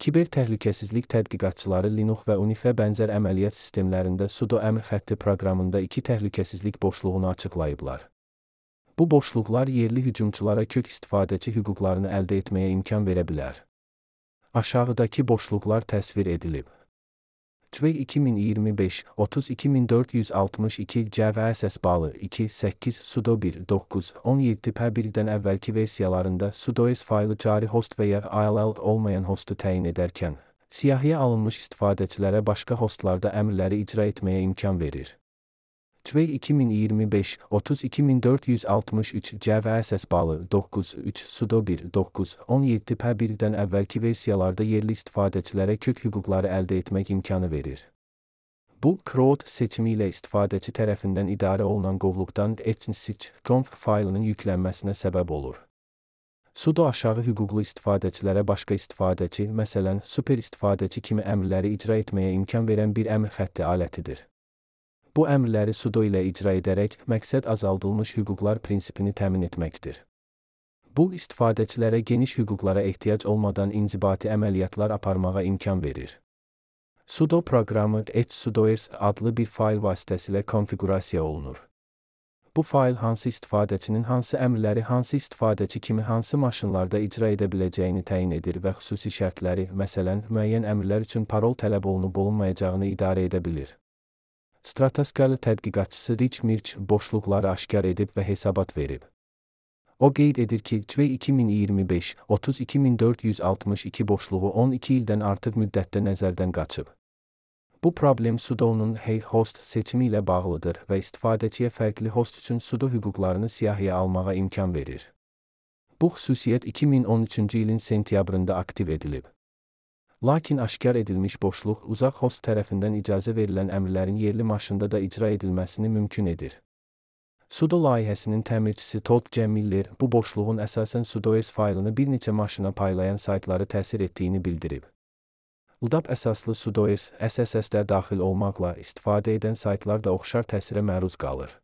Kiber təhlükəsizlik tədqiqatçıları Linux və Unix-ə bənzər əməliyyat sistemlərində sudo əmr xətti proqramında iki təhlükəsizlik boşluğunu açıqlayıblar. Bu boşluqlar yerli hücumçulara kök istifadəçi hüquqlarını əldə etməyə imkan verə bilər. Aşağıdakı boşluqlar təsvir edilib. CVE 2025 32462 CVSS balı 2.8 sudo 1.9.17.1-dən əvvəlki versiyalarında sudoers faylı cari host və ya ILL olmayan hostu təyin edərkən, siyahıya alınmış istifadəçilərə başqa hostlarda əmrləri icra etməyə imkan verir. CVE 2025 32463 CVSS balı 9.3 sudo 1.9.17.1-dən əvvəlki versiyalarda yerli istifadəçilərə kök hüquqları əldə etmək imkanı verir. Bu, crowd seçimi ilə istifadəçi tərəfindən idarə olunan qovluqdan etcnsich.conf faylının yüklənməsinə səbəb olur. Sudo aşağı hüquqlu istifadəçilərə başqa istifadəçi, məsələn, super istifadəçi kimi əmrləri icra etməyə imkan verən bir əmr xətti alətidir. Bu əmrləri sudo ilə icra edərək, məqsəd azaldılmış hüquqlar prinsipini təmin etməkdir. Bu, istifadəçilərə geniş hüquqlara ehtiyac olmadan inzibati əməliyyatlar aparmağa imkan verir. Sudo proqramı etsudoers adlı bir fayl vasitəsilə konfiqurasiya olunur. Bu fayl hansı istifadəçinin hansı əmrləri hansı istifadəçi kimi hansı maşınlarda icra edə biləcəyini təyin edir və xüsusi şərtləri, məsələn, müəyyən əmrlər üçün parol tələb olunub-olunmayacağını idarə edə bilir. Strataskalı tədqiqatçısı Rich Mirch boşluqları aşkar edib və hesabat verib. O qeyd edir ki, CVE 2025 32462 boşluğu 12 ildən artıq müddətdə nəzərdən qaçıb. Bu problem sudonun hey host seçimi ilə bağlıdır və istifadəçiyə fərqli host üçün sudo hüquqlarını siyahıya almağa imkan verir. Bu xüsusiyyət 2013-cü ilin sentyabrında aktiv edilib. Lakin aşkar edilmiş boşluq uzaq host tərəfindən icazə verilən əmrlərin yerli maşında da icra edilməsini mümkün edir. Sudo layihəsinin təmirçisi Todd J. Miller bu boşluğun əsasən sudoers faylını bir neçə maşına paylayan saytları təsir etdiyini bildirib. LDAP əsaslı sudoers SSS-də daxil olmaqla istifadə edən saytlar da oxşar təsirə məruz qalır.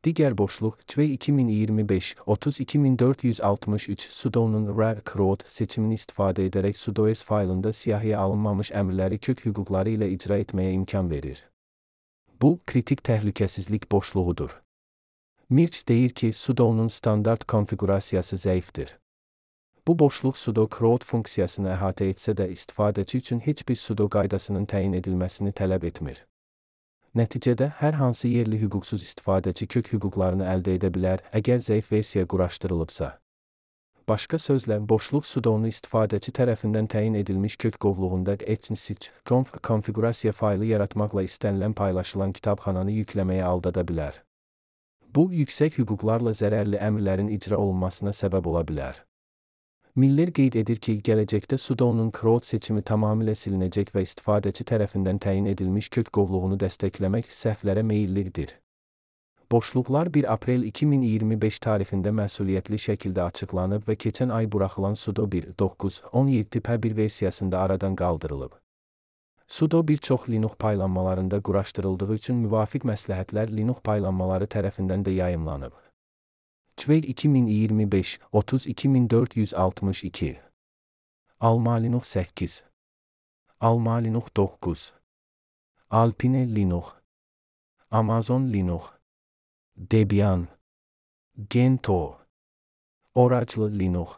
Digər boşluq CVE 2025 32463 sudonun rar crowd seçimini istifadə edərək sudoers faylında siyahıya alınmamış əmrləri kök hüquqları ilə icra etməyə imkan verir. Bu, kritik təhlükəsizlik boşluğudur. Mirch deyir ki, sudonun standart konfiqurasiyası zəifdir. Bu boşluq sudo crowd funksiyasını əhatə etsə də istifadəçi üçün heç bir sudo qaydasının təyin edilməsini tələb etmir. Nəticədə, hər hansı yerli hüquqsuz istifadəçi kök hüquqlarını əldə edə bilər, əgər zəif versiya quraşdırılıbsa. Başqa sözlə, boşluq sudonu istifadəçi tərəfindən təyin edilmiş kök qovluğunda etcnsich.conf konfiqurasiya faylı yaratmaqla istənilən paylaşılan kitabxananı yükləməyə aldada bilər. Bu, yüksək hüquqlarla zərərli əmrlərin icra olunmasına səbəb ola bilər. Miller qeyd edir ki, gələcəkdə sudonun crowd seçimi tamamilə silinəcək və istifadəçi tərəfindən təyin edilmiş kök qovluğunu dəstəkləmək səhvlərə meyillidir. Boşluqlar 1 aprel 2025 tarixində məsuliyyətli şəkildə açıqlanıb və keçən ay buraxılan sudo 1.9.17.1 versiyasında aradan qaldırılıb. Sudo bir çox Linux paylanmalarında quraşdırıldığı üçün müvafiq məsləhətlər Linux paylanmaları tərəfindən də yayımlanıb. CVE 2025 32462 Alma Linux 8 Alma Linux 9 Alpine Linux Amazon Linux Debian Gentoo Oracle Linux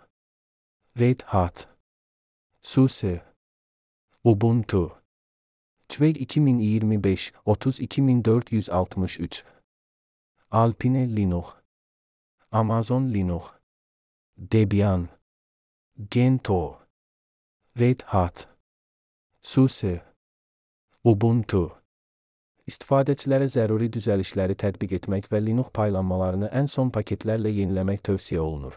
Red Hat SUSE Ubuntu CVE 2025 32463 Alpine Linux Amazon Linux Debian Gentoo Red Hat SUSE Ubuntu İstifadəçilərə zəruri düzəlişləri tətbiq etmək və Linux paylanmalarını ən son paketlərlə yeniləmək tövsiyə olunur.